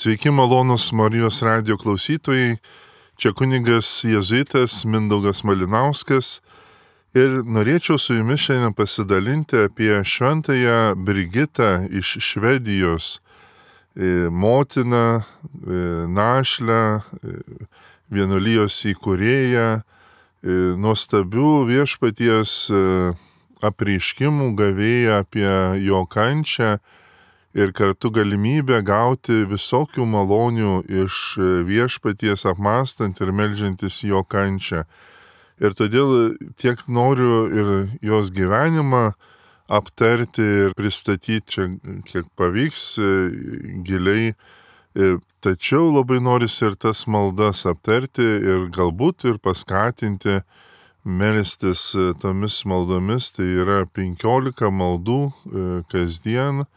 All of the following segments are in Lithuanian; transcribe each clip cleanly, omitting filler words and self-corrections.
Sveiki malonūs Marijos radijo klausytojai, čia kunigas jėzuitas Mindaugas Malinauskas ir norėčiau su jumis šiandien pasidalinti apie šventąją Brigitą iš Švedijos, motiną, našlę, vienuolijos įkūrėją, nuostabių viešpaties apreiškimų gavėją apie jo kančią ir kartu galimybę gauti visokių malonių iš viešpaties apmąstant ir meldžiantis jo kančią. Ir todėl tiek noriu ir jos gyvenimą aptarti ir pristatyti čia, kiek pavyks giliai. Tačiau labai norisi ir tas maldas aptarti ir galbūt ir paskatinti melstis tomis maldomis. Tai yra 15 maldų kasdien,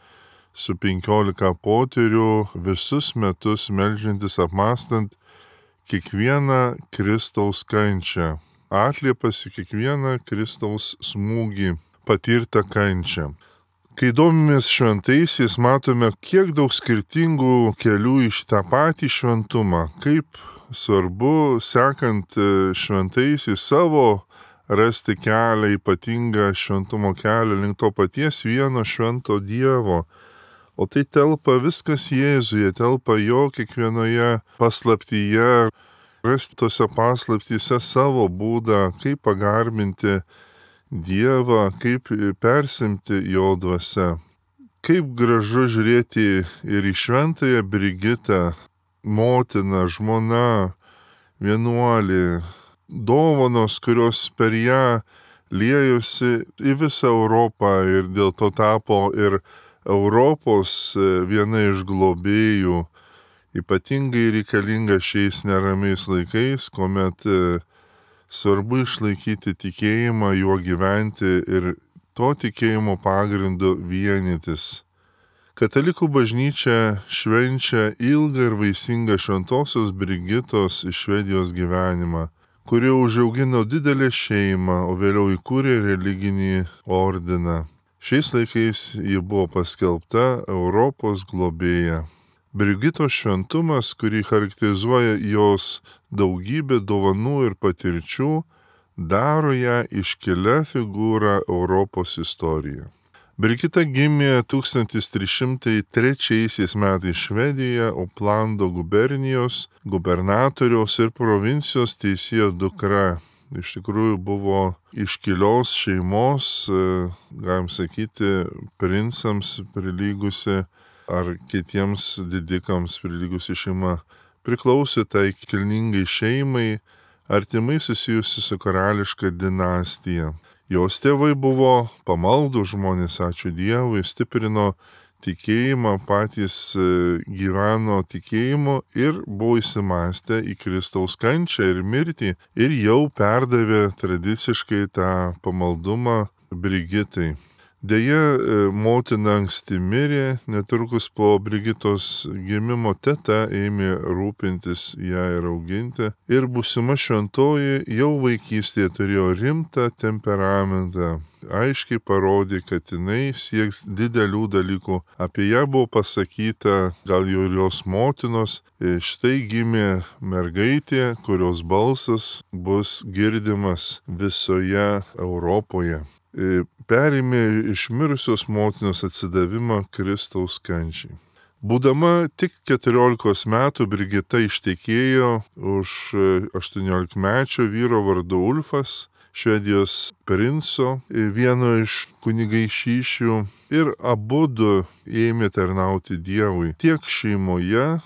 su 15 poterių visus metus meldžiantis apmąstant kiekvieną Kristaus kančią, atliepas į kiekvieną Kristaus smūgį, patirtą kančią. Kai domimės šventaisiais, matome, kiek daug skirtingų kelių iš tą patį šventumą, kaip svarbu, sekant šventaisiais savo, rasti kelią, ypatingą šventumo kelią link to paties vieno švento Dievo. O tai telpa viskas Jėzuje, telpa jo kiekvienoje paslaptyje, rasti tose paslaptyse savo būdą, kaip pagarbinti Dievą, kaip persimti jo dvasia. Kaip gražu žiūrėti ir į šventąją Brigitą, motiną, žmona, vienuolį, dovanos, kurios per ją liejosi į visą Europą ir dėl to tapo ir Europos viena iš globėjų, ypatingai reikalinga šiais neramiais laikais, kuomet svarbu išlaikyti tikėjimą, juo gyventi ir to tikėjimo pagrindu vienytis. Katalikų bažnyčia švenčia ilgą ir vaisingą šventosios Brigitos iš Švedijos gyvenimą, kuri užaugino didelę šeimą, o vėliau įkūrė religinį ordiną. Šiais laikais ji buvo paskelbta Europos globėja. Brigitos šventumas, kurį charakterizuoja jos daugybė dovanų ir patirčių, daro ją iškilia figūra Europos istorijoje. Brigita gimė 1303 metais Švedijoje, Oplando gubernijos gubernatoriaus ir provincijos teisėjo dukra. Iš tikrųjų buvo iškilios šeimos, galim sakyti, princams prilygusi ar kitiems didikams prilygusi šeima. Priklausė tai kilningai šeimai, artimai susijusi su karališka dinastija. Jos tėvai buvo pamaldų žmonės, ačiū Dievui, stiprino tikėjimą, patys gyveno tikėjimu ir buvo įsimąstę į Kristaus kančią ir mirtį ir jau perdavė tradiciškai tą pamaldumą Brigitai. Deja, motina anksti mirė, netrukus po Brigitos gimimo teta ėmė rūpintis ją ir auginti ir būsima šventoji jau vaikystėje turėjo rimtą temperamentą. Aiškiai parodė, kad jinai sieks didelių dalykų. Apie ją buvo pasakyta, gal jau ir jos motinos, štai gimė mergaitė, kurios balsas bus girdimas visoje Europoje. Perėmė iš mirusios motinos atsidavimą Kristaus kančiai. Būdama tik 14 metų Brigita ištekėjo už 18-mečio vyro vardu Ulfas, Švedijos princo, vieno iš kunigaikščių, ir abudu ėmė tarnauti Dievui. Tiek šeimoje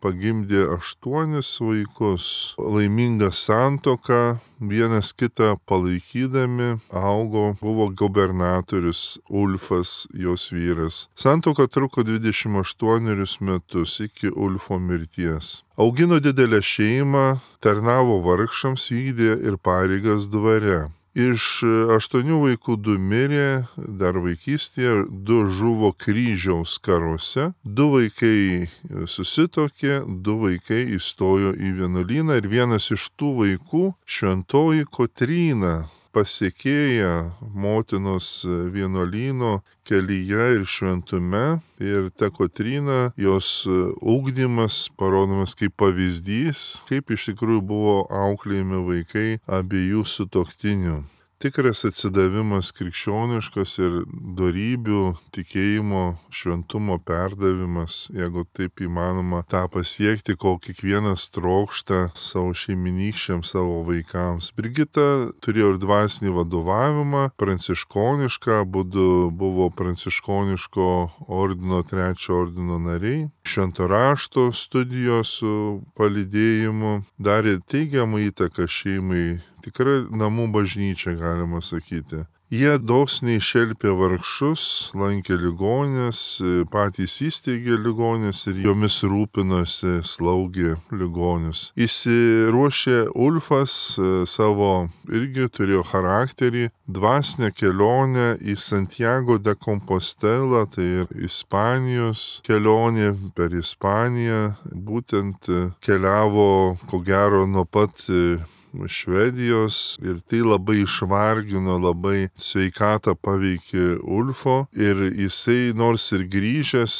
pagimdė 8 vaikus. Laimingą santuoką, vienas kitą palaikydami, augo, buvo gubernatorius Ulfas, jos vyras. Santuoka truko 28 metus iki Ulfo mirties. Augino didelę šeimą, tarnavo vargšams, vykdė ir pareigas dvare. Iš 8 vaikų 2 mirė dar vaikystėje, 2 žuvo kryžiaus karuose, 2 vaikai susituokė, 2 vaikai įstojo į vienuolyną ir vienas iš tų vaikų, šventoji Kotryna, pasiekėja motinos vienuolyno kelyje ir šventume. Ir ta Kotryna, jos ugdymas parodomas kaip pavyzdys, kaip iš tikrųjų buvo auklėjami vaikai abiejų sutuoktinių. Tikras atsidavimas krikščioniškas ir dorybių, tikėjimo, šventumo perdavimas, jeigu taip įmanoma tą pasiekti, ko kiekvienas trokšta savo šeiminykščiams, savo vaikams. Brigita turėjo ir dvasinį vadovavimą, pranciškonišką, abudu buvo pranciškoniško ordino, 3 ordino nariai. Švento rašto studijos su palydėjimu darė teigiamą įtaką šeimai. Tikrai namų bažnyčia, galima sakyti. Jie dosniai šelpė vargšus, lankė ligonės, patys įsteigė ligonės ir jomis rūpinosi, slaugė ligonius. Įsiruošė Ulfas savo, irgi turėjo charakterį, dvasinę kelionę į Santiago de Compostela, tai ir Ispanijos kelionė per Ispaniją, būtent keliavo, ko gero, nuo pat Švedijos ir tai labai išvargino, labai sveikatą paveikė Ulfo ir jisai nors ir grįžęs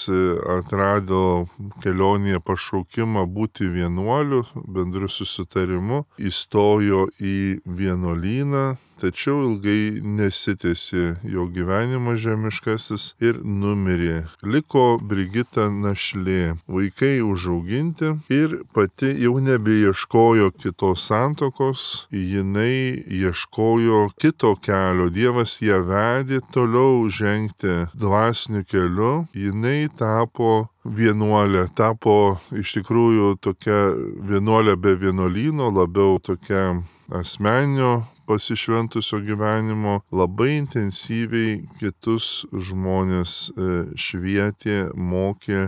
atrado kelionėje pašaukimą būti vienuoliu, bendru susitarimu, įstojo į vienuolyną, tačiau ilgai nesitęsė jo gyvenimas žemiškasis ir numirė. Liko Brigita našlė, vaikai užauginti ir pati jau nebeieškojo kitos santokos, jinai ieškojo kito kelio. Dievas ją vedė toliau žengti dvasiniu keliu, jinai tapo vienuolė, tapo iš tikrųjų tokia vienuolė be vienuolyno, labiau tokia asmeninio pasišventusio gyvenimo, labai intensyviai kitus žmonės švietė, mokė,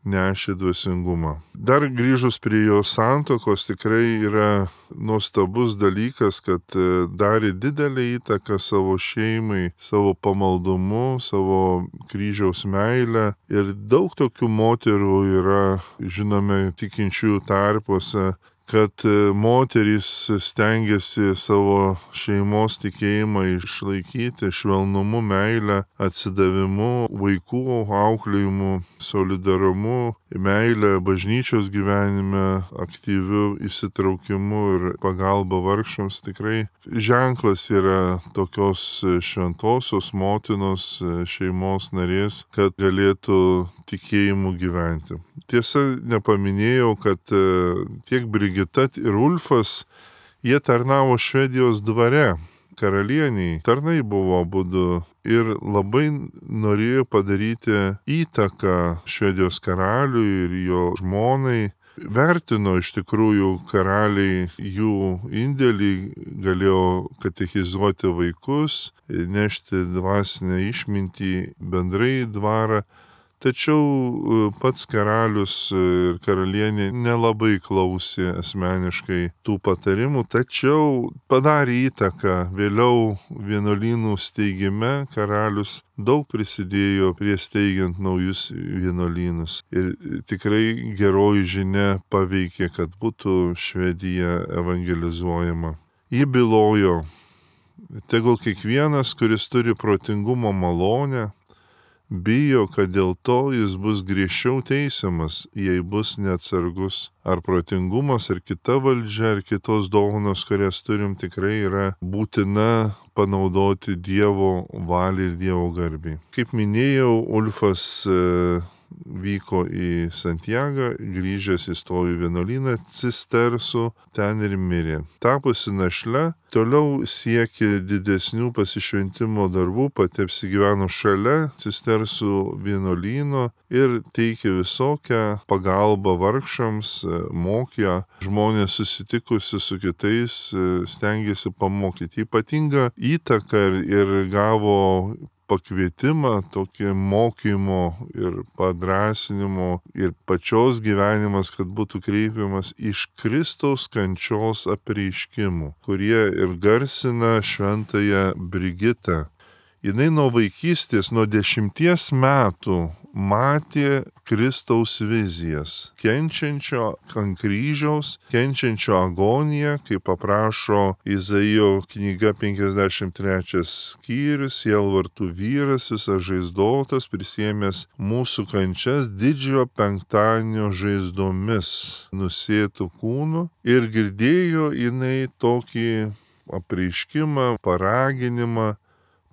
nešė dvasingumą. Dar grįžus prie jo santokos, tikrai yra nuostabus dalykas, kad darė didelę įtaką savo šeimai, savo pamaldumu, savo kryžiaus meilę. Ir daug tokių moterų yra, žinome, tikinčiųjų tarpuose, kad moterys stengiasi savo šeimos tikėjimą išlaikyti švelnumu, meilę, atsidavimu, vaikų auklėjimu, solidarumu, meilę bažnyčios gyvenime, aktyviu įsitraukimu ir pagalba vargšams. Tikrai ženklas yra tokios šventosios motinos, šeimos narės, kad galėtų tikėjimu gyventi. Tiesa, nepaminėjau, kad tiek Brigita ir Ulfas, jie tarnavo Švedijos dvare, karalieniai. Tarnai buvo abudu ir labai norėjo padaryti įtaką Švedijos karaliui ir jo žmonai. Vertino iš tikrųjų karaliai jų indėlį, galėjo katechizuoti vaikus, nešti dvasinę išmintį bendrai į dvarą. Tačiau pats karalius ir karalienė nelabai klausė asmeniškai tų patarimų, tačiau padarė įtaką. Vėliau vienuolynų steigime karalius daug prisidėjo prie steigiant naujus vienuolynus. Ir tikrai geroji žinia paveikė, kad būtų Švedija evangelizuojama. Ji bylojo, tegul kiekvienas, kuris turi protingumo malonę, bijo, kad dėl to jis bus griežčiau teisiamas, jei bus neatsargus. Ar protingumas, ar kita valdžia, ar kitos dovanos, kurias turim, tikrai yra būtina panaudoti Dievo valiai ir Dievo garbiai. Kaip minėjau, Ulfas vyko į Santiagą, grįžęs įstojo į vienuolyną Cistersų, ten ir mirė. Tapusi našle, toliau siekė didesnių pasišventimo darbų, pati apsigyveno šalia Cistersų vienuolyno ir teikė visokią pagalbą vargšams, mokė žmonės susitikusi su kitais, stengėsi pamokyti. Ypatingą įtaką ir gavo pakvietimą, tokį mokymo ir padrasinimo ir pačios gyvenimas, kad būtų kreipiamas iš Kristaus kančios apreiškimų, kurie ir garsina šventąją Brigitą. Jinai nuo vaikystės, nuo 10 metų matė Kristaus vizijas, kenčiančio ant kryžiaus, kenčiančio agoniją, kaip paprašo Izaijo knyga 53 skyrius, sielvartų vyras, visas žaizdotas, prisiėmęs mūsų kančias didžiojo penktadienio žaizdomis nusėtų kūnų, ir girdėjo jinai tokį apreiškimą, paraginimą: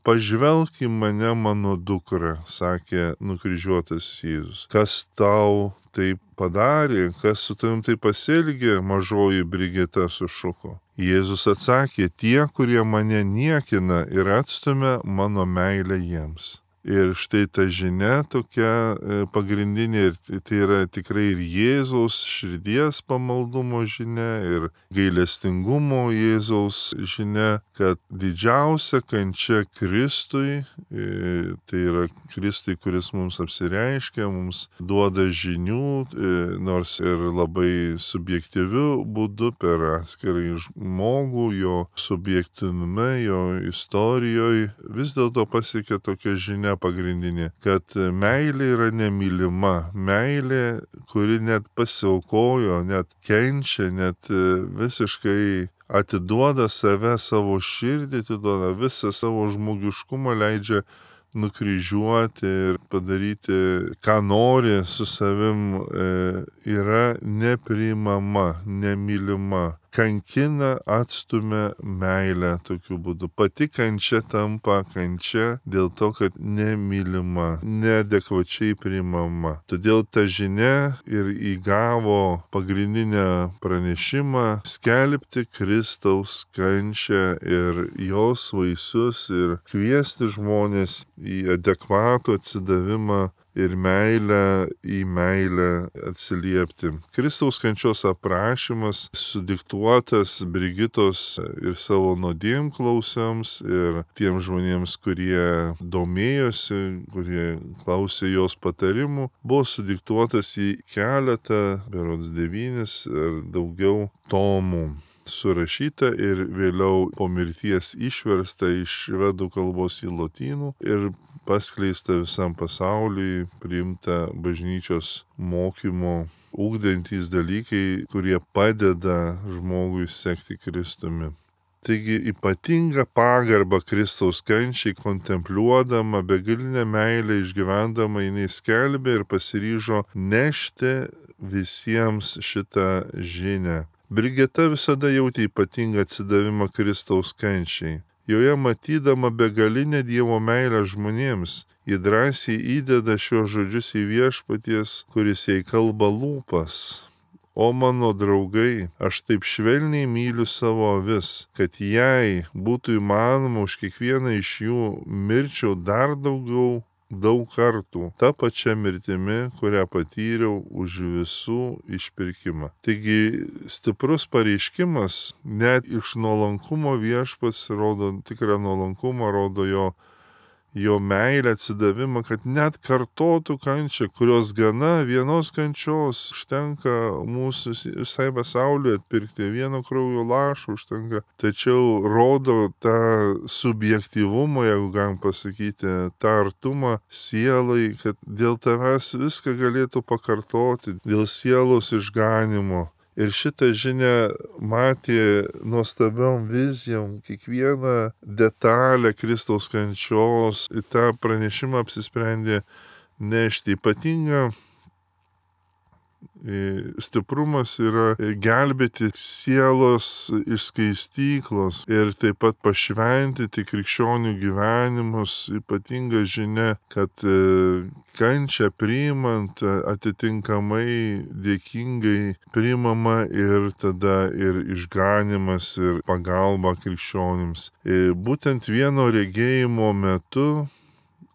pažvelk į mane, mano dukra, sakė nukryžiuotas Jėzus. Kas tau taip padarė, kas su tavim taip pasielgė, mažoji Brigita, sušuko. Jėzus atsakė: tie, kurie mane niekina ir atstumia mano meilę jiems. Ir štai ta žinia tokia pagrindinė, ir tai yra tikrai ir Jėzaus širdies pamaldumo žinia, ir gailestingumo Jėzaus žinia, kad didžiausia kančia Kristui, tai yra Kristui, kuris mums apsireiškia, mums duoda žinių, nors ir labai subjektyviu būdu per atskirai žmogų, jo subjektinume, jo istorijoje, vis dėlto pasiekia tokia žinia pagrindinė, kad meilė yra nemylima, meilė, kuri net pasiaukojo, net kenčia, net visiškai atiduoda save, savo širdį, atiduoda visą savo žmogiškumą, leidžia nukryžiuoti ir padaryti, ką nori su savim, yra nepriimama, nemylima. Kankina, atstumia meilę tokiu būdu. Pati kančia tampa kančia dėl to, kad nemylima, neadekvačiai priimama. Todėl ta žinia ir įgavo pagrindinę pranešimą skelbti Kristaus kančią ir jos vaisius ir kviesti žmonės į adekvatų atsidavimą ir meilę, į meilę atsiliepti. Kristaus kančios aprašymas sudiktuotas Brigitos ir savo nuodėmklausiams ir tiems žmonėms, kurie domėjosi, kurie klausė jos patarimų, buvo sudiktuotas į keletą, berods 9 ar daugiau tomų. Surašyta ir vėliau po mirties išversta iš švedų kalbos į lotynų ir paskleista visam pasauliui, priimta bažnyčios mokymo ugdantys dalykai, kurie padeda žmogui sekti Kristumi. Taigi ypatinga pagarba Kristaus kančiai, kontempliuodama, begalinę meilę išgyvendama, jinai skelbė ir pasiryžo nešti visiems šitą žinią. Brigita visada jautė ypatingą atsidavimą Kristaus kančiai. Joje matydama begalinę Dievo meilę žmonėms, ji drąsiai įdeda šios žodžius į viešpaties, kuris jai kalba lūpas. O mano draugai, aš taip švelniai myliu savo avis, kad jei būtų įmanoma už kiekvieną iš jų mirčiau dar daugiau, daug kartų, ta pačia mirtimi, kurią patyriau už visų išpirkimą. Taigi stiprus pareiškimas, net iš nuolankumo viešpats rodo tikrą nuolankumą, rodo jo meilę, atsidavimą, kad net kartotų kančią, kurios gana vienos kančios užtenka mūsų visai pasauliui atpirkti, vieno kraujo lašo užtenka, tačiau rodo tą subjektyvumą, jeigu galim pasakyti, tą artumą sielai, kad dėl tavęs viską galėtų pakartoti, dėl sielos išganimo. Ir šitą žinią matė nuostabiom vizijom, kiekvieną detalę Kristaus kančios, į tą pranešimą apsisprendė nešti. Ypatinga stiprumas yra gelbėti sielos iš skaistyklos ir taip pat pašventyti krikščionių gyvenimus. Ypatinga žinia, kad kančią priimant atitinkamai dėkingai priimama ir tada ir išganimas ir pagalba krikščionims. Būtent vieno regėjimo metu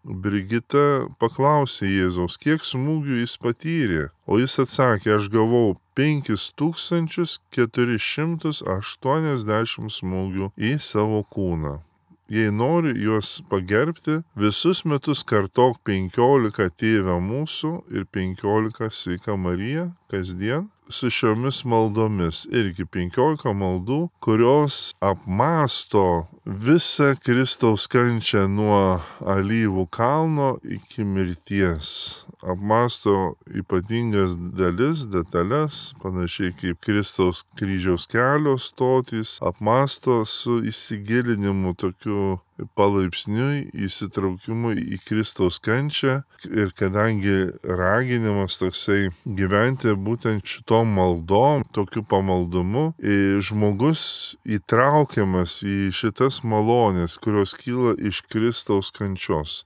Brigita paklausė Jėzaus, kiek smūgių jis patyrė, o jis atsakė, aš gavau 5480 smūgių į savo kūną. Jei nori juos pagerbti, visus metus kartok 15 Tėve mūsų ir 15 Sveika Marija kasdien su šiomis maldomis. Irgi 15 maldų, kurios apmąsto visą Kristaus kančią nuo alyvų kalno iki mirties. apmasto ypatingas dalis, detalės, panašiai kaip Kristaus kryžiaus kelio stotys, apmasto su įsigilinimu tokiu palaipsniui įsitraukimu į Kristaus kančią ir kadangi raginimas toksai gyventi būtent šitom maldom, tokiu pamaldumu, žmogus įtraukiamas į šitas malonės, kurios kyla iš Kristaus kančios.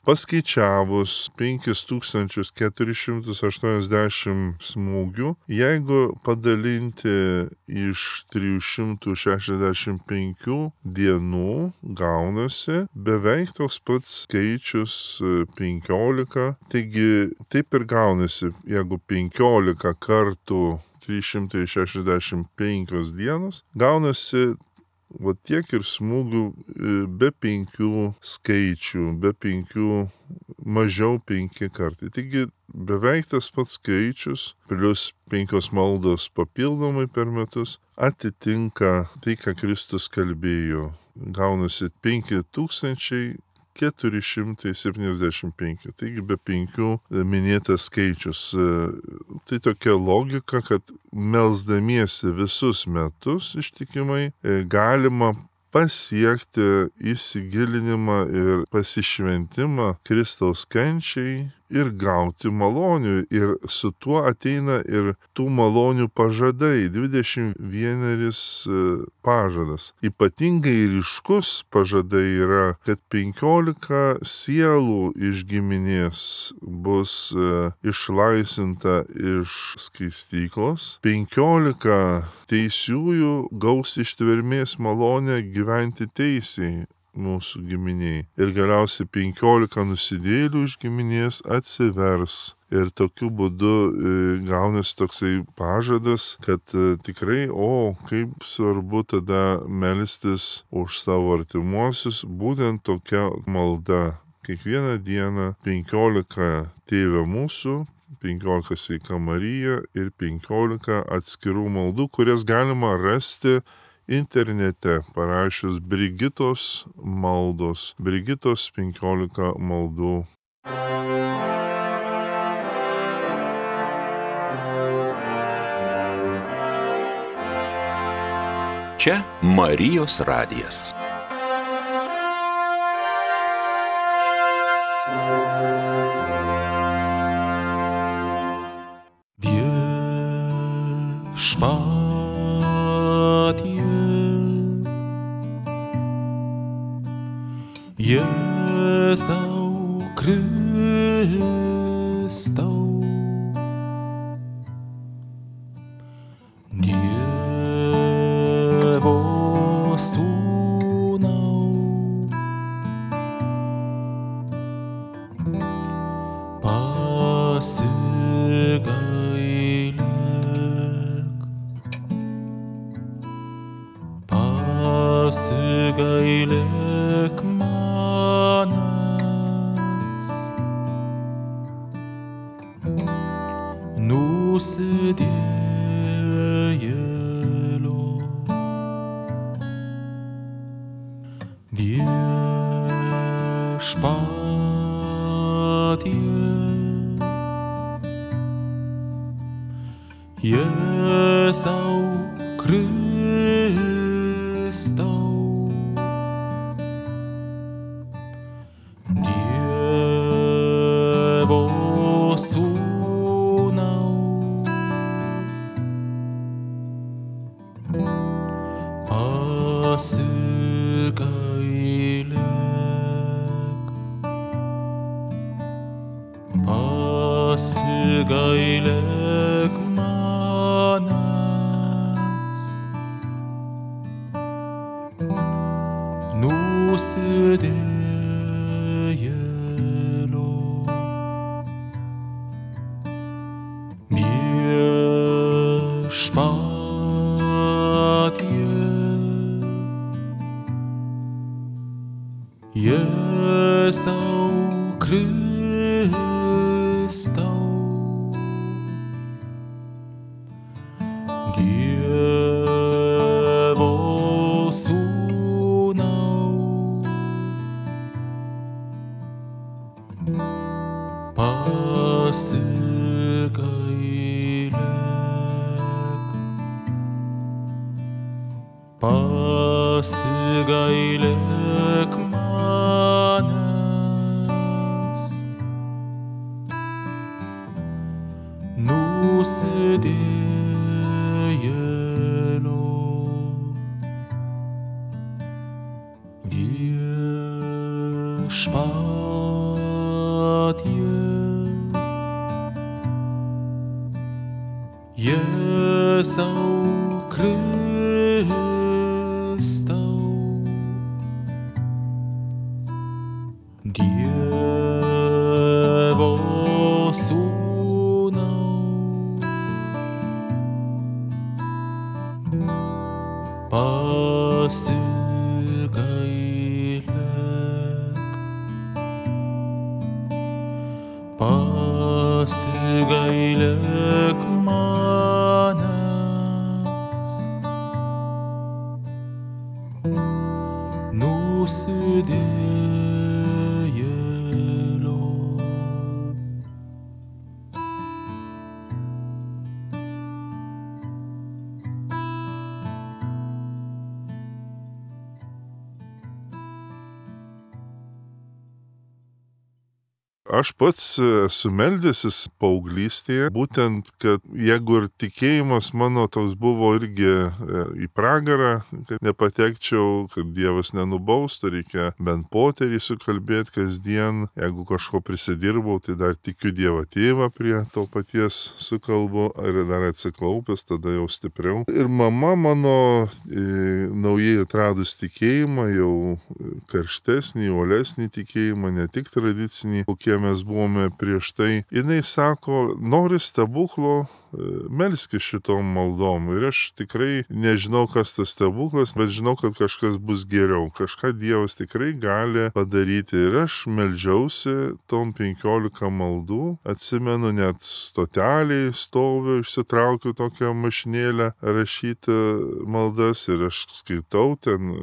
Paskaičiavus 5480 smūgių, jeigu padalinti iš 365 dienų, gaunasi beveik toks pats skaičius 15. Taigi taip ir gaunasi, jeigu 15 kartų 365 dienos, gaunasi va tiek ir smūgių be 5 skaičių, be 5, mažiau 5 kartai. Taigi beveik tas pats skaičius, plius 5 maldos papildomai per metus, atitinka tai, ką Kristus kalbėjo. Gaunasi 5475, taigi be 5 minėtas skaičius. Tai tokia logika, kad melsdamiesi visus metus ištikimai galima pasiekti įsigilinimą ir pasišventimą Kristaus kančiai ir gauti malonių. Ir su tuo ateina ir tų malonių pažadai, 21 pažadas. Ypatingai ryškus pažadai yra, kad 15 sielų iš giminės bus išlaisvinta iš skaistyklos, 15 teisiųjų gaus ištvermės malonę gyventi teisiai mūsų giminiai. Ir galiausiai 15 nusidėjėlių iš giminės atsivers. Ir tokiu būdu gaunasi toksai pažadas, kad tikrai, kaip svarbu tada melstis už savo artimuosius, būtent tokia malda. Kiekvieną dieną 15 Tėve mūsų, 15 Sveika Marija ir 15 atskirų maldų, kurias galima rasti internete, parašius Brigitos maldos, Brigitos 15 maldų. Čia Marijos radijas. Jėzau Kristau, Dievo Sūnau, pasigailėk manęs, nusidėjėlio. Viešpatie, Jėzau Kristau, Dievo Sūnau, pasigailėk manęs, nusidėjėlio. Viešpatie, Jėzau Kristau, Dievo Sūnau, pasigailėk pasigailėk manęs, nusidėjėlio. Viešpatie, Jėzau Kristau, Dievo Sūnau, pasigailėk manęs, nusidėjėlio. Aš pats esu meldęsis paauglystėje, būtent, kad jeigu ir tikėjimas mano toks buvo irgi į pragarą, kad nepatekčiau, kad Dievas nenubaustų, reikia bent poterį sukalbėti kasdien, jeigu kažko prisidirbau, tai dar tikiu Dievą Tėvą prie to paties sukalbu, ir dar atsiklaupęs, tada jau stipriau. Ir mama mano naujai atradus tikėjimą, jau karštesnį, uolesnį tikėjimą, ne tik tradicinį, kokie mes buvome prieš tai. Jinai sako, nori stebuklo, melskis šitom maldom. Ir aš tikrai nežinau, kas tas stebuklas, bet žinau, kad kažkas bus geriau. Kažką Dievas tikrai gali padaryti. Ir aš meldžiausi tom 15 maldų. Atsimenu, net stoteliai stoviu, išsitraukiu tokią mašinėlę rašyti maldas ir aš skaitau ten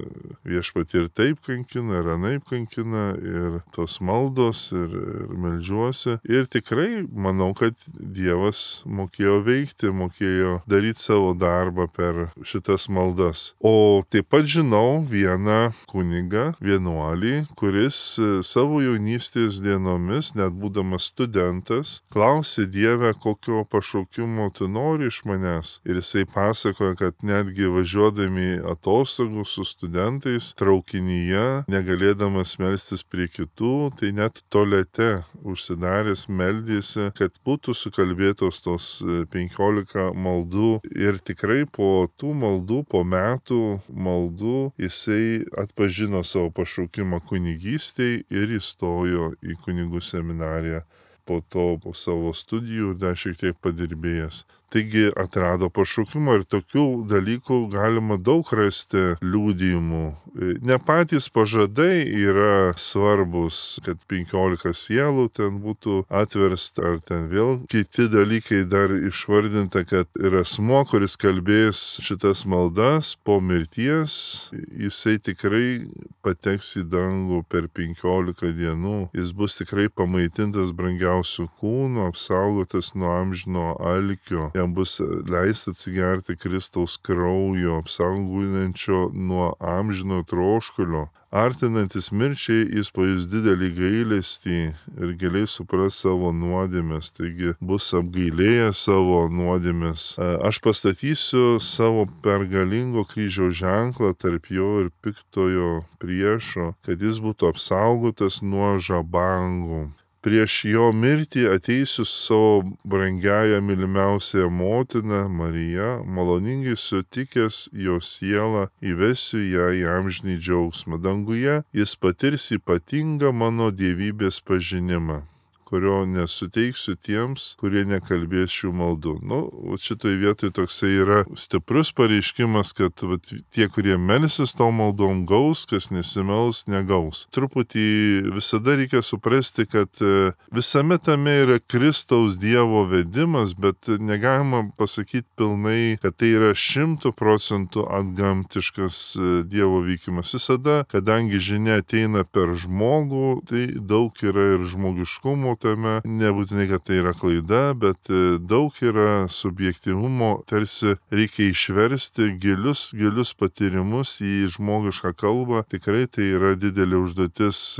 Viešpatie ir taip kankina, ir anaip kankina, ir tos maldos, ir meldžiuosi. Ir tikrai manau, kad Dievas mokėjo veikti, mokėjo daryti savo darbą per šitas maldas. O taip pat žinau vieną kunigą, vienuolį, kuris savo jaunystės dienomis, net būdamas studentas, klausė Dievę, kokio pašaukimo tu nori iš manęs. Ir jisai pasakoja, kad netgi važiuodami atostogų su studentais traukinyje, negalėdamas melstis prie kitų, tai net tualete užsidaręs meldėsi, kad būtų sukalbėtos tos 15 maldų. Ir tikrai po tų maldų, po metų maldų, jisai atpažino savo pašaukimą kunigystei ir įstojo į kunigų seminariją. Po to, po savo studijų, dar šiek tiek padirbėjęs. Taigi atrado pašaukimą ir tokių dalykų galima daug rasti liudijimų. Ne patys pažadai yra svarbus, kad 15 sielų ten būtų atversta, ar ten vėl kiti dalykai dar išvardinta, kad ir asmuo, kuris kalbės šitas maldas po mirties, jisai tikrai pateks į dangų per 15 dienų. Jis bus tikrai pamaitintas brangiausių kūnų, apsaugotas nuo amžino alkio. Jam bus leista atsigerti Kristaus kraujo, apsaugojančio nuo amžino troškulio. Artinantis mirčiai, jis pajus didelį gailestį ir giliai supras savo nuodėmes, taigi bus apgailėjęs savo nuodėmes. Aš pastatysiu savo pergalingo kryžiaus ženklą tarp jo ir piktojo priešo, kad jis būtų apsaugotas nuo žabangų. Prieš jo mirtį ateisiu savo brangiąją mylimiausiąją motiną Mariją, maloningai sutikęs jo sielą, įvesiu ją į amžinį džiaugsmą. Danguje jis patirs ypatingą mano dievybės pažinimą, kurio nesuteiksiu tiems, kurie nekalbės šių maldų. Šitoj vietoj toksai yra stiprus pareiškimas, kad tie, kurie melsis to maldom, gaus, kas nesimels, negaus. Truputį visada reikia suprasti, kad visame tame yra Kristaus Dievo vedimas, bet negalima pasakyti pilnai, kad tai yra 100% antgamtiškas Dievo vykimas. Visada, kadangi žinia ateina per žmogų, tai daug yra ir žmogiškumo tame, nebūtinai, kad tai yra klaida, bet daug yra subjektyvumo, tarsi reikia išversti gilius patyrimus į žmogišką kalbą. Tikrai tai yra didelė užduotis.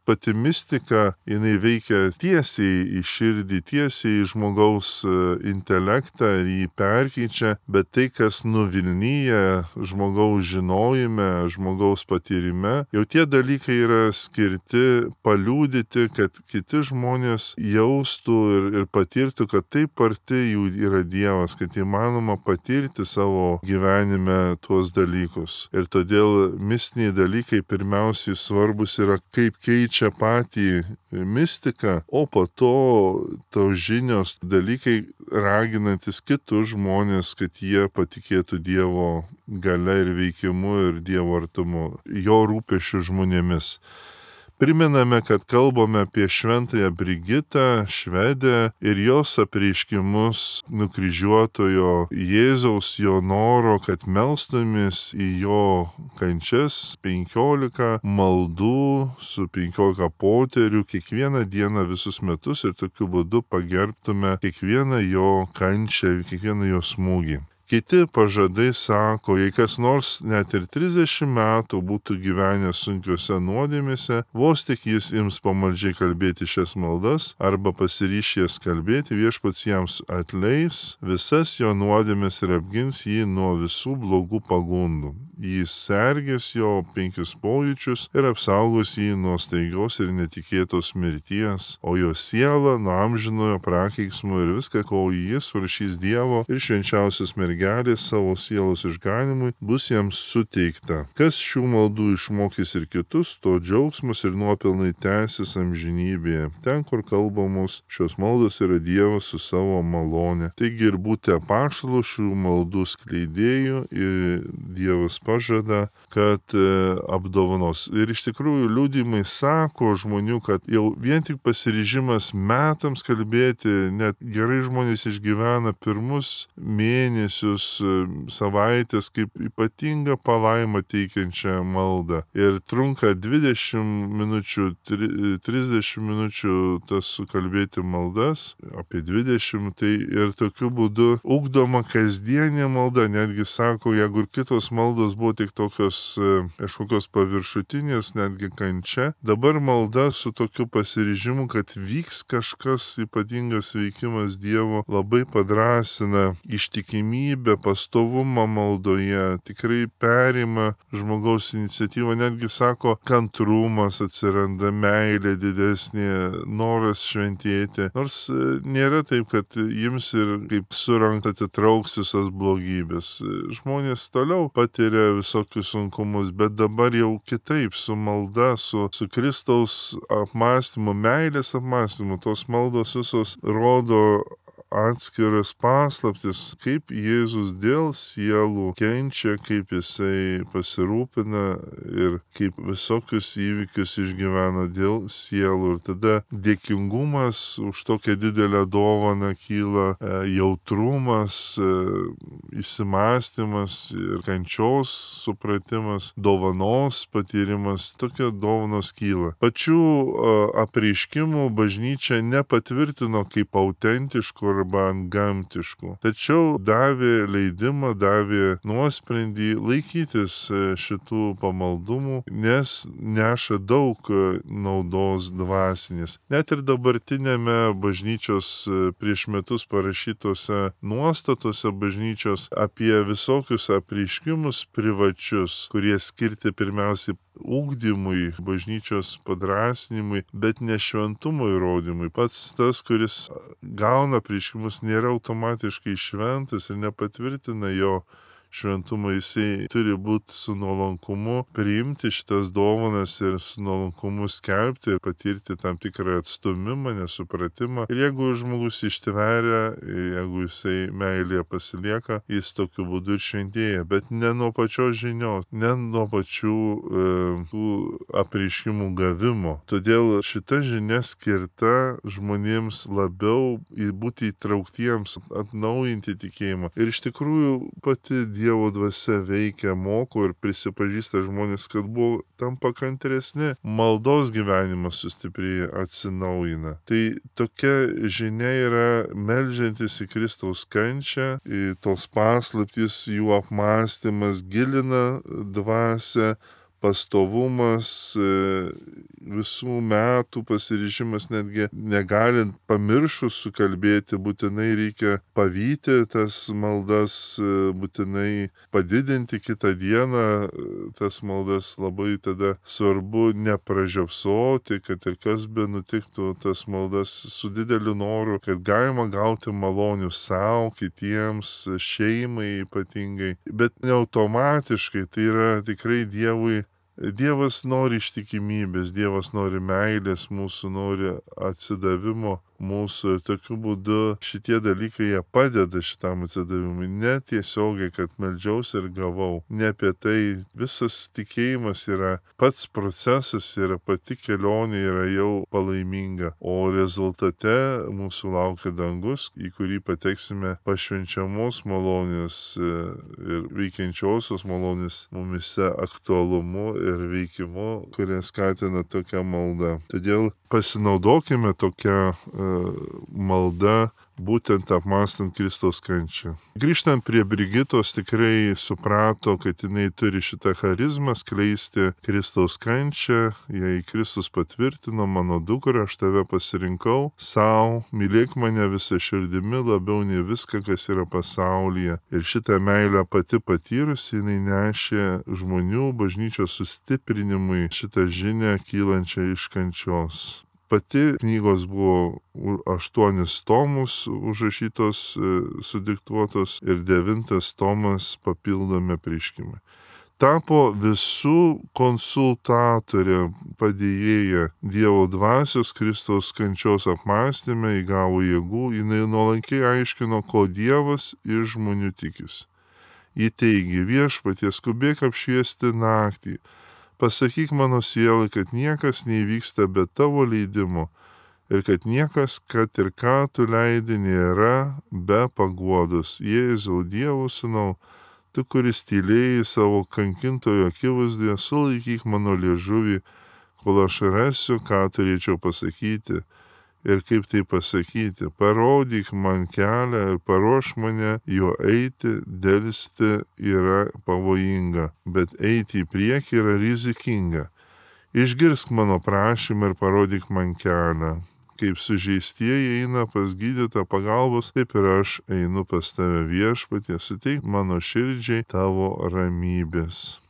Pati mistika, jinai veikia tiesiai į širdį, tiesiai į žmogaus intelektą ir jį perkeičia, bet tai, kas nuvilnyja žmogaus žinojime, žmogaus patyrime, jau tie dalykai yra skirti paliūdyti, kad kiti žmonės jaustų ir patirtų, kad taip arti jų yra Dievas, kad įmanoma patirti savo gyvenime tuos dalykus. Ir todėl mistiniai dalykai pirmiausiai svarbus yra, kaip keičia patį mistiką, o po to tos žinios dalykai raginantis kitus žmonės, kad jie patikėtų Dievo galia ir veikimu ir Dievo artumu, jo rūpesčiu žmonėmis. Priminame, kad kalbame apie šventąją Brigitą, švedę ir jos apreiškimus nukryžiuotojo Jėzaus, jo noro, kad melstumės į jo kančias 15 maldų su 15 poterių kiekvieną dieną visus metus ir tokiu būdu pagerbtume kiekvieną jo kančią, kiekvieną jo smūgį. Kiti pažadai sako, jei kas nors net ir 30 metų būtų gyvenęs sunkiuose nuodėmėse, vos tik jis ims pamaldžiai kalbėti šias maldas arba pasiryš jas kalbėti, viešpats jiems atleis visas jo nuodėmės ir apgins jį nuo visų blogų pagundų. Jis sergės jo 5 pojūčius ir apsaugos jį nuo staigios ir netikėtos mirties, o jo siela nuo amžinojo prakeiksmo ir viską, ko jis prašys Dievo ir švenčiausios mergelės savo sielos išganimui, bus jiems suteikta. Kas šių maldų išmokys ir kitus, to džiaugsmas ir nuopelnai tęsis amžinybėje. Ten, kur kalbamos šios maldos, yra Dievas su savo malone. Taigi ir būti apaštalu šių maldų skleidėjų ir Dievas pažada, kad apdovanos. Ir iš tikrųjų liudijimai sako žmonių, kad jau vien tik pasiryžimas metams kalbėti, net gerai žmonės išgyvena pirmus mėnesius, savaitės kaip ypatingą palaimą teikiančią maldą. Ir trunka 20 minučių, 30 minučių tas sukalbėti maldas, apie 20, tai ir tokiu būdu ugdoma kasdienė malda. Netgi sako, jeigu ir kitos maldos buvo tik tokios kažkokios paviršutinės, netgi kančia, dabar malda su tokiu pasiryžimu, kad vyks kažkas ypatingas veikimas Dievo, labai padrasina ištikimybę, pastovumą maldoje, tikrai perima žmogaus iniciatyvą, netgi sako, kantrumas atsiranda, meilė didesnė, noras šventėti. Nors nėra taip, kad jums ir kaip surankt atitrauks visas blogybės. Žmonės toliau patiria visokius sunkumus, bet dabar jau kitaip, su malda, su Kristaus apmąstymu, meilės apmąstymu, tos maldos visos rodo atskiras paslaptis, kaip Jėzus dėl sielų kenčia, kaip jisai pasirūpina ir kaip visokius įvykius išgyvena dėl sielų. Ir tada dėkingumas už tokią didelę dovaną kyla, jautrumas, įsimąstymas ir kančios supratimas, dovanos patyrimas, tokie dovanos kyla. Pačių apreiškimų bažnyčia nepatvirtino kaip autentiškų arba antgamtiškų. Tačiau davė leidimą, davė nuosprendį laikytis šitų pamaldumų, nes neša daug naudos dvasinės. Net ir dabartinėme bažnyčios prieš metus parašytose nuostatose bažnyčios apie visokius apreiškimus privačius, kurie skirti pirmiausiai ugdymui, bažnyčios padrasnimui, bet ne šventumo įrodymui. Pats tas, kuris gauna apreiškimus, nėra automatiškai šventas ir nepatvirtina jo šventumą. Jisai turi būti su nuolankumu, priimti šitas dovanas ir su nuolankumu skelbti ir patirti tam tikrą atstumimą, nesupratimą. Ir jeigu žmogus ištveria, jeigu jisai meilėje pasilieka, jis tokiu būdu ir šventėja, bet ne nuo pačios žinios, ne nuo pačių tų apreiškimų gavimo. Todėl šita žinia skirta žmonėms labiau būti įtrauktiems, atnaujinti tikėjimą. Ir iš tikrųjų pati Dievo dvasia veikia, moko ir prisipažįsta žmonės, kad buvo tampa kantresni, maldos gyvenimas sustiprėja, atsinaujina. Tai tokia žinia yra meldžiantis į Kristaus kančią, į tos paslaptys, jų apmąstymas gilina dvasią, pastovumas, visų metų pasiryžimas, netgi negalint pamiršus sukalbėti, būtinai reikia pavyti tas maldas, būtinai padidinti kitą dieną, tas maldas labai tada svarbu nepražiopsoti, kad ir kas be nutiktų, tas maldas su dideliu noru, kad galima gauti malonių savo, kitiems, šeimai ypatingai, bet ne automatiškai, tai yra tikrai Dievas nori ištikimybės, Dievas nori meilės, mūsų nori atsidavimo mūsų ir tokiu būdu šitie dalykai jie padeda šitam atsidavimui. Ne tiesiogiai, kad meldžiausi ir gavau. Ne apie tai. Visas tikėjimas yra pats procesas, yra pati kelionė, yra jau palaiminga. O rezultate mūsų laukia dangus, į kurį pateksime pašvenčiamos malonės ir veikiančiosios malonės mumise aktualumu ir veikimu, kurie skatina tokią maldą. Todėl pasinaudokime tokią malda, būtent apmąstant Kristaus kančią. Grįžtant prie Brigitos, tikrai suprato, kad jinai turi šitą charizmą skleisti Kristaus kančią. Jei Kristus patvirtino, mano dukra, aš tave pasirinkau sau, mylėk mane visą širdimi labiau nei viską, kas yra pasaulyje. Ir šitą meilę pati patyrusi, jinai nešė žmonių bažnyčios sustiprinimui šitą žinią kylančią iš kančios. Pati knygos buvo 8 tomus užrašytos, sudiktuotos ir 9 tomas papildomi apreiškimai. Tapo visų konsultatorė, padėjėja Dievo dvasios Kristaus kančios apmąstyme, įgavo jėgų, jinai nuolankiai aiškino, ko Dievas iš žmonių tikisi. Ji teigė, viešpatie, skubėk apšviesti naktį. Pasakyk mano sielai, kad niekas neįvyksta be tavo leidimo ir kad niekas, kad ir ką tu leidi, nėra be paguodos. Jėzau, Dievo sūnau, tu, kuris tylėjai savo kankintojo akivaizdoje, sulaikyk mano liežuvį, kol aš rasiu, ką turėčiau pasakyti ir kaip tai pasakyti. Parodyk man kelią ir paruoš mane juo eiti, delsti yra pavojinga, bet eiti į priekį yra rizikinga. Išgirsk mano prašymą ir parodyk man kelią. Kaip sužeistieji eina pas gydytą pagalbos, taip ir aš einu pas tave, viešpatie, suteik mano širdžiai tavo ramybės.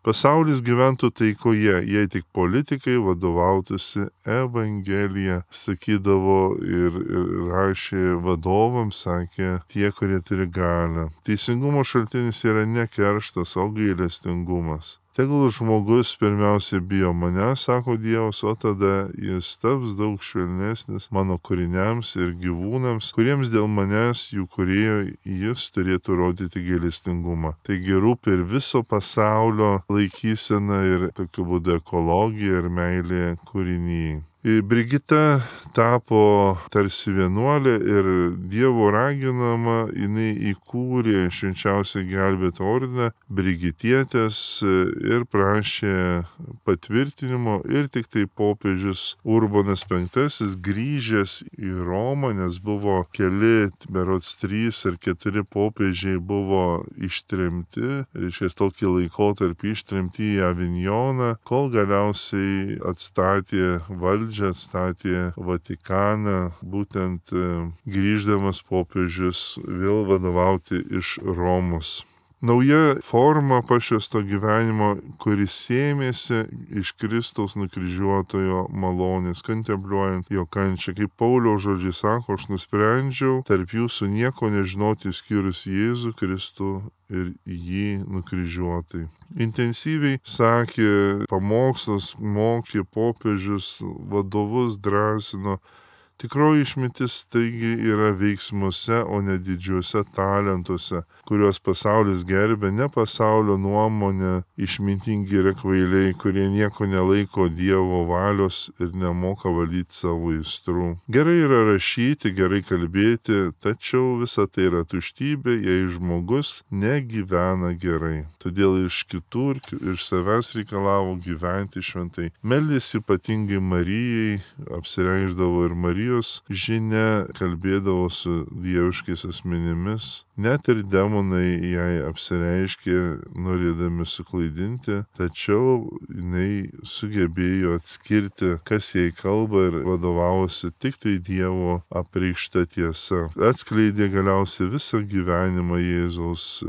Pasaulis gyventų taikoje, jei tik politikai vadovautųsi Evangelija, sakydavo ir rašė vadovams, sakė tie, kurie turi galią. Teisingumo šaltinis yra ne kerštas, o gailestingumas. Tegul žmogus pirmiausia bijo mane, sako Dievas, o tada jis taps daug švelnesnis mano kūriniams ir gyvūnams, kuriems dėl manęs jų kūrėjo jis turėtų rodyti gailestingumą. Taigi rūpi ir viso pasaulio laikysena ir tokiu būdu ekologija ir meilė kūrinyjei. Brigita tapo tarsi vienuolė ir Dievo raginama, jinai įkūrė švenčiausią gelbėto ordiną Brigitietės ir prašė patvirtinimo ir tik tai popiežius Urbonas V grįžęs į Romą, nes buvo keli, berods 3 ar 4 popiežiai buvo ištremti, reiškia tokį laikotarpį ištremti į Avinjoną, kol galiausiai atstatė valdžią, atstatė Vatikaną, būtent grįždamas popiežius vėl vadovauti iš Romos. Nauja forma pašvęsto gyvenimo, kuris sėmėsi iš Kristaus nukryžiuotojo malonės, kontempliuojant jo kančią. Kaip Pauliaus žodžiai sako, aš nusprendžiau tarp jūsų nieko nežinoti išskyrus Jėzų Kristų ir jį nukryžiuotai. Intensyviai sakė pamokslus, mokė popiežius, vadovus drąsino. Tikroji išmintis taigi yra veiksmuose, o ne didžiuose talentuose, kuriuos pasaulis gerbė, ne pasaulio nuomonė, išmintingi yra kvailiai, kurie nieko nelaiko Dievo valios ir nemoka valdyti savo aistrų. Gerai yra rašyti, gerai kalbėti, tačiau visa tai yra tuštybė, jei žmogus negyvena gerai. Todėl iš kitų ir iš savęs reikalavo gyventi šventai. Meldėsi ypatingai Marijai, apsireikšdavo ir Marijos žinia, kalbėdavo su dieviškais asmenimis. Net ir demonai jai apsireiškė, norėdami suklaidinti, tačiau jinai sugebėjo atskirti, kas jai kalba ir vadovavosi tik tai Dievo apreikšta tiesa. Atskleidė galiausiai visą gyvenimą Jėzaus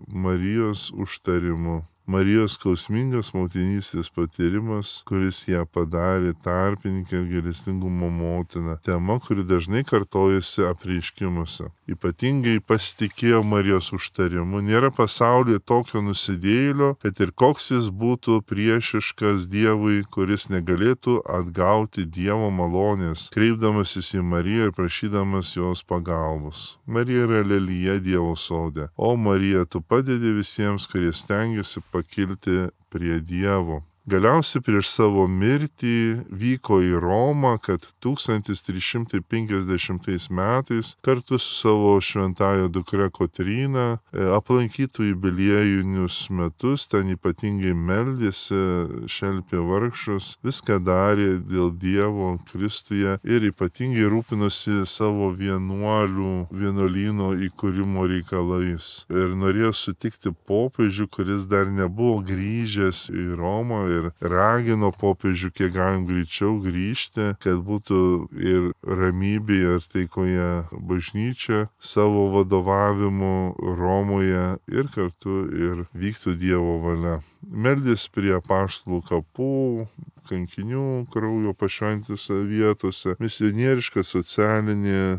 Marijos užtarimu. Marijos skausmingas motinystės patyrimas, kuris ją padarė tarpininkę ir gailestingumo motiną. Tema, kuri dažnai kartojasi apreiškimuose. Ypatingai pasitikėjo Marijos užtarimu. Nėra pasaulyje tokio nusidėjėlio, kad ir koks jis būtų priešiškas Dievui, kuris negalėtų atgauti Dievo malonės, kreipdamasis į Mariją ir prašydamas jos pagalbos. Marija yra lelija Dievo sode. O Marija, tu padedi visiems, kurie stengiasi pakilti prie Dievo. Galiausiai prieš savo mirtį vyko į Romą, kad 1350 metais kartu su savo šventąja dukra Kotryna aplankytų jubiliejinius metus, ten ypatingai meldėsi, šelpė vargšus, viską darė dėl Dievo Kristuje ir ypatingai rūpinosi savo vienuolyno įkūrimo reikalais. Ir norėjo sutikti popiežių, kuris dar nebuvo grįžęs į Romą, ir ragino popiežių kiek galim greičiau grįžti, kad būtų ir ramybėje ir taikoje bažnyčia savo vadovavimu Romoje ir kartu ir vyktų Dievo valia. Meldės prie apaštalų kapų, kankinių kraujo pašventintose vietose, misionieriška socialinė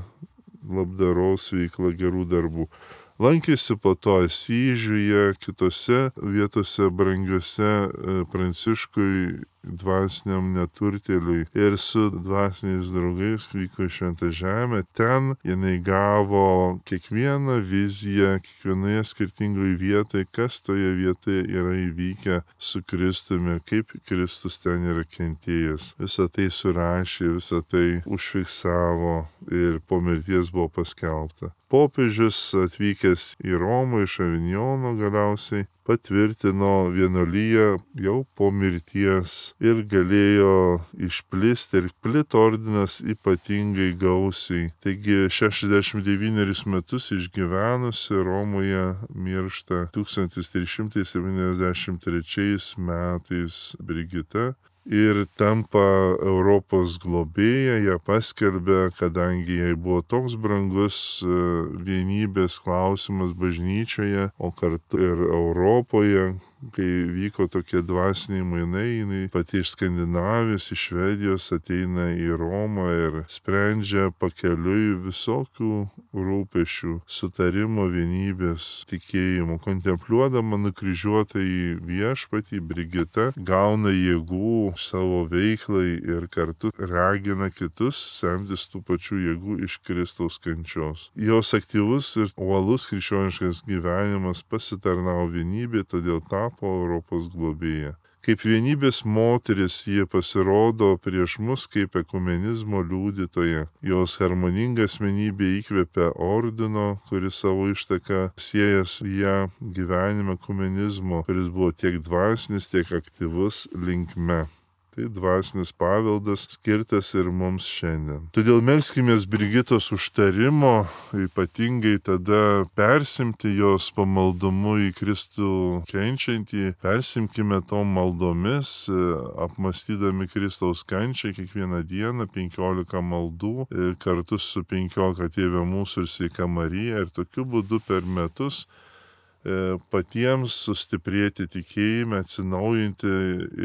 labdaros veikla gerų darbų. Lankėsi po to Asyžiuje, kitose vietose brangiuose Pranciškui dvasiniam neturtėliui ir su dvasiniais draugais vyko į Šventą Žemę. Ten jinai gavo kiekvieną viziją, kiekvienoje skirtingoje vietoje, kas toje vietoje yra įvykę su Kristumi, kaip Kristus ten yra kentėjęs. Visą tai surašė, visą tai užfiksavo ir po mirties buvo paskelbta. Popiežius atvykęs į Romą iš Avinjono galiausiai patvirtino vienuoliją jau po mirties ir galėjo išplisti ir plito ordinas ypatingai gausiai. Taigi 69 metus išgyvenusi Romoje miršta 1373 metais Brigita. Ir tampa Europos globėja, ją paskelbė, kadangi jai buvo toks brangus vienybės klausimas bažnyčioje, o kartu ir Europoje, kai vyko tokie dvasiniai mainai, jinai pati iš Skandinavijos, iš Švedijos ateina į Romą ir sprendžia pakeliui visokių rūpešių, sutarimo, vienybės, tikėjimo. Kontempliuodama nukryžiuotąjį viešpatį, Brigita gauna jėgų savo veiklai ir kartu ragina kitus semtis tų pačių jėgų iš Kristaus kančios. Jos aktyvus ir uolus krikščioniškas gyvenimas pasitarnavo vienybė, todėl tapo Europos globėja. Kaip vienybės moteris jie pasirodo prieš mus kaip ekumenizmo liudytoja. Jos harmoninga asmenybė įkvepia ordino, kuris savo ištaką sieja su ją gyvenime ekumenizmo, kuris buvo tiek dvasinis, tiek aktyvus linkme. Tai dvasinis paveldas skirtas ir mums šiandien. Todėl melskimės Brigitos užtarimo, ypatingai tada persimti jos pamaldumu į Kristų kenčiantį, persimkime tom maldomis, apmastydami Kristaus kančią kiekvieną dieną, 15 maldų, kartu su 15 Tėve mūsų ir Sveika Marija, ir tokiu būdu per metus patiems sustiprėti tikėjime, atsinaujinti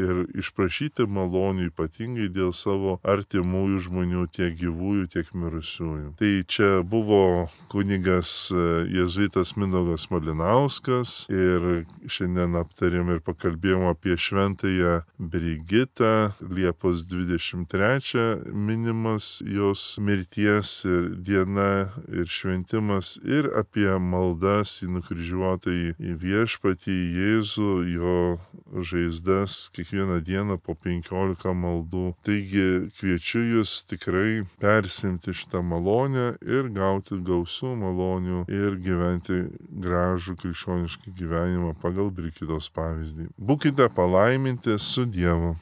ir išprašyti malonių ypatingai dėl savo artimųjų žmonių, tiek gyvųjų, tiek mirusiųjų. Tai čia buvo kunigas jėzuitas Mindaugas Malinauskas ir šiandien aptarėm ir pakalbėjom apie šventąją Brigitą. Liepos 23 minimas jos mirties ir diena ir šventimas ir apie maldas į nukryžiuotą į viešpatį, į Jėzų, jo žaizdas kiekvieną dieną po 15 maldų. Taigi kviečiu jūs tikrai persimti šitą malonę ir gauti gausių malonių ir gyventi gražų krikščionišką gyvenimą pagal Brigitos pavyzdį. Būkite palaiminti su Dievu.